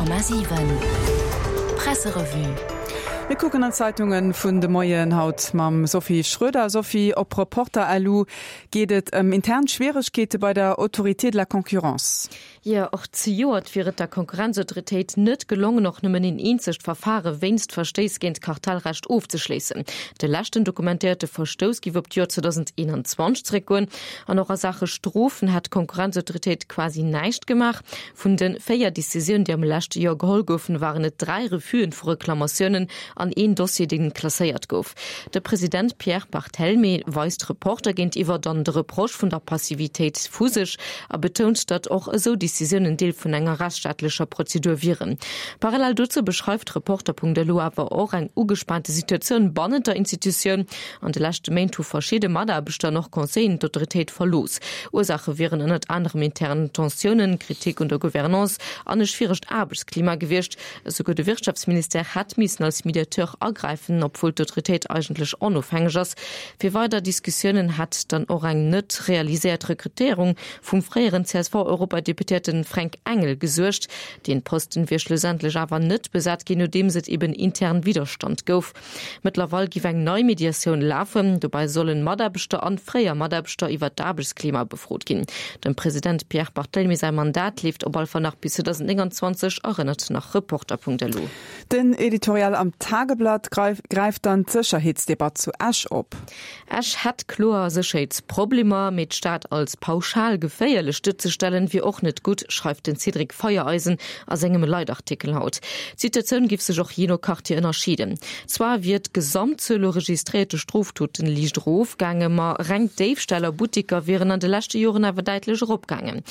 100,7 Presserevue. Mir kucken an d'Zeitunge vun de Moien haut mam Sophie Schröder. Sophie, op Reporter.lu geet et ëm intern Schwieregkeete bei der Autorité de la concurrence. Jo, och zejoert wier et der Konkurrenzautoritéit net gelongen, och nëmmen een eenzegt Verfare wéinst Verstéiss géint d'Kartellrecht ofzeschléissen. De leschten dokumentéierte Verstouss géif op d'Joer 2021 zeréckgoen. An och a Saache Strofen hätt d'Konkurrenzautoritéit quasi näischt gemaach. Vun de 4 Decisiounen, déi am leschte Joer geholl goufen, waren et 3 Refus'en vu Reklamatiounen an een Dossier, dee klasséiert gouf. De President Pierre Barthelmé weist Reporter géintiwwer dann de Reproche vun der Passivitéit vu sech a betount, datt och esou Decisiounen Deel vun enger rechtsstaatlecher Prozedur wieren. Parallel dozou beschreift Reporter.lu awer och eng ugespaante Situatioun bannent der Institutioun. An de leschte Méint hu verschidde Mataarbechter an och Conseilleren d'Autoritéit verlooss. Ursaache wieren ënnert anerem intern Tensiounen, Kritik un der Gouvernance an e schwieregt Aarbechtsklima gewiescht. Esouguer de Wirtschaftsministère hätt missen als Mediateur agräifen, obwuel d'Autoritéit eigentlech onofhängeg ass. Fir weider Diskussiounen hätt dann och eng net realiséiert Rekrutéierung vum fréieren CSV-Europadeputéierten Fränk Engel gesuergt. Deen Posten wier schlussendlech awer net besat ginn, nodeems et eben intern Widderstand gouf. Mëttlerweil giff eng nei Mediatioun lafen. Dobäi sollen Mataarbechter an fréier Mataarbechter iwwer d'Aarbechtsklima befrot ginn. Dem President Pierre Barthelmy säi Mandat leeft op all Fall nach bis 2029, erënnert nach Reporter.lu. Den Editorial am Tageblatt gräift dann d'Sécherheetsdebatt zu Esch op. Esch hätt kloer Sécherheetsproblemer, mee d'Stad als pauschal geféierlech duerzestellen, wier och net gutt, schreift den Cédric Feiereisen a sengem Leitartikel haut. D'Situatioun giff sech och jee no Quartier ënnerscheeden. Zwar wier d'Gesamtzuel u registréierte Strofdoten liicht erofgaangen, ma reng d'Déifställ a Buttiker wieren an de leschte Joren awer däitlech eropgaangen.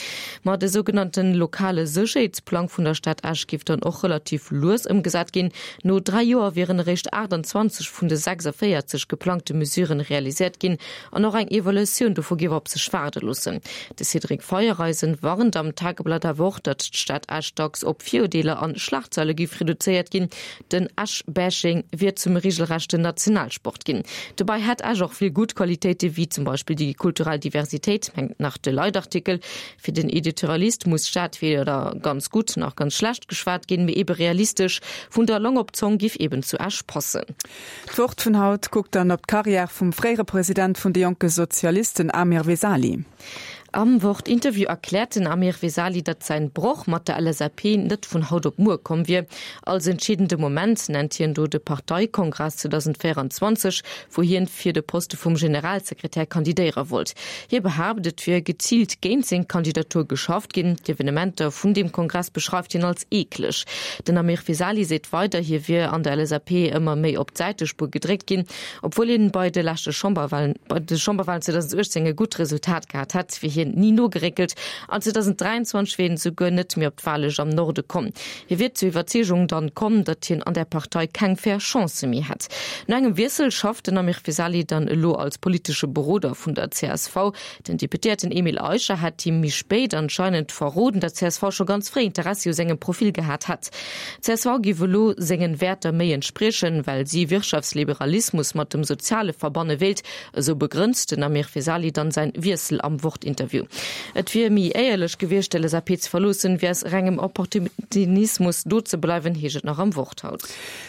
Ma de sougenannte lokale Sécherheetsplang vun der Stad Esch giff dann och relativ lues ëmgesat ginn. No 3 Joer wieren eréischt 28 vun de 46 geplangte Mesuren realiséiert ginn an och eng Evaluatioun dovu géif op sech waarde loossen. De Cédric Feiereisen warnt am Tageblatt awer och, datt d'Stad Esch dacks op Virurdeeler an Schlagzeile géif reduzéiert ginn. Den Esch-Bashing wier zum regelrechten Nationalsport ginn. Dobäi hätt Esch och vill gutt Qualitéite wéi zum Beispill déi kulturell Diversitéit, mengt nach de Leitartikel. Fir den Editorialist muss d'Stad weder ganz gutt nach ganz schlecht geschwat ginn, mee ebe realistesch. Vun der Long op d'Zong giff eben zu Esch passen. D'Wort vun haut kuckt dann op d'Karriär vum fréiere President vun de Jonke Sozialisten Amir Vesali. Am Wort-Interview erkläert den Amir Vesali, datt säin Broch mat der LSAP net vun haut op muer komm wier. Als entscheedende Moment nennt hien do de Parteikongress 2024, wou hien fir de Poste vum Generalsekretär kandidéiere wollt. Hie behaapt, et wier geziilt géint seng Kandidatur geschafft ginn. D'Evenementer vun deem Kongress beschreift hien als eekleg. Den Amir Vesali seet weider, hie wier an der LSAP ëmmer méi op d'Säitespuer gedréckt ginn. Obwuel hien bei de leschte Chamberwalen, bei de Chamberwalen 2018 e gutt Resultat gehat hätt, wier hien ni nogeréckelt an 2023 wier hien esouguer net méi op d'Wahllëscht am Norde komm. Hie wier zur Iwwerzeegung dann komm, datt hien an där Partei keng fair Chancë méi hätt. No engem Wiessel schafft den Amir Vesali dann elo als politesche Beroder vun der csv. Den Deputéierten Emile Eicher hätt him méi spéit anscheinend verroden, datt csv scho ganz fréi Interessi u sengem Profil gehat hätt. Csv géif elo sengen Wäerter méi entspriechen, well si Wirtschaftsliberalismus mat dem Soziale verbanne wéilt, Esou begrënnt den Amir Vesali dann säin Wiessel am Wort-Interview. Et wier méi éierlech gewiescht, d'LSAP ze verloossen, wéi aus rengem Opportunismus do ze bleiwen, heescht et nach am Wort haut.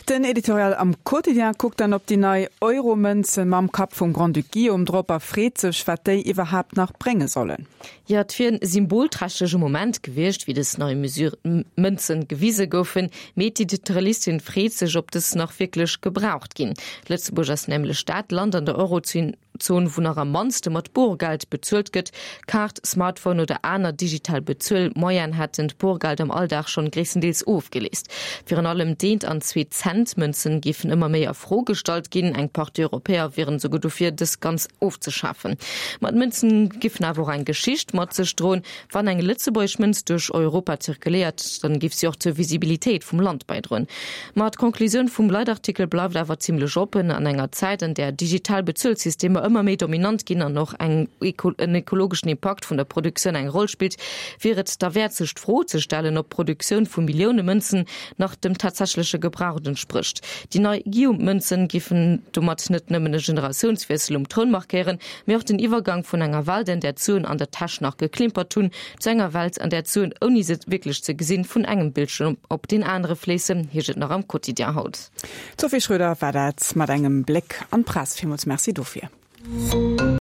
Den Editorial am Quotidien kuckt dann op déi nei Euro-Mënze mam Kapp vum Grand-Duc Guillaume drop a freet sech, wat déi iwwerhaapt nach brénge sollen. Jo, et wier en symbolträchtege Moment gewiescht, wéi dës nei Mesure, Mënzen gewise goufen, mee d'Editorialistin freet sech, ob dës nach wierklech gebraucht ginn. Lëtzebuerg ass nämlech dat Land an der Eurozon, wou nach am mannste mat Borgeld bezuelt gëtt. Kaart, Smartphone oder aner digital Bezuelmoyene hätten d'Borgeld am Alldag schonn gréisstendeels ofgeléist. Virun allem d'Eent an Zwee-Cent-Mënzen géifen ëmmer méi a Fro gestallt ginn. Eng Partie Europäer wieren esouguer dofir, dës ganz ofzeschafen. Ma d'Mënzen giffen awer och eng Geschicht mat sech droen. Wann eng lëtzebuergesch Mënz duerch Europa zirkuléiert, dann giff si och zur Visibilitéit vum Land bäidroen. Ma d'Conclusioun vum Leitartikel bleift awer zimmlech oppen, An enger Zäit, an där digital Bezuelsystemer ëmmer. ëmmer méi dominant ginn an och eng en ekologeschen Impakt vun der Produktioun eng Roll spillt, wier et derwäert sech d'Fro ze stellen, ob d'Produktioun vu Millioune Mënzen nach dem tatsächleche Gebrauch entsprécht. Déi nei Guillaume-Mënzen giffen domat net nëmmen e Generatiounswiessel um Troun markéieren, mee och den Iwwergang vun enger Welt, an där d'Suen an der Täsch nach geklimpert hunn, zu enger Welt, an där d'Suen, ouni se wierklech ze gesinn, vun engem Bildschirm op deen anere fléissen, heescht et nach am Quotidien haut. D'Sophie Schröder war dat mat engem Bléck an d'Press. Villmools Merci dofir.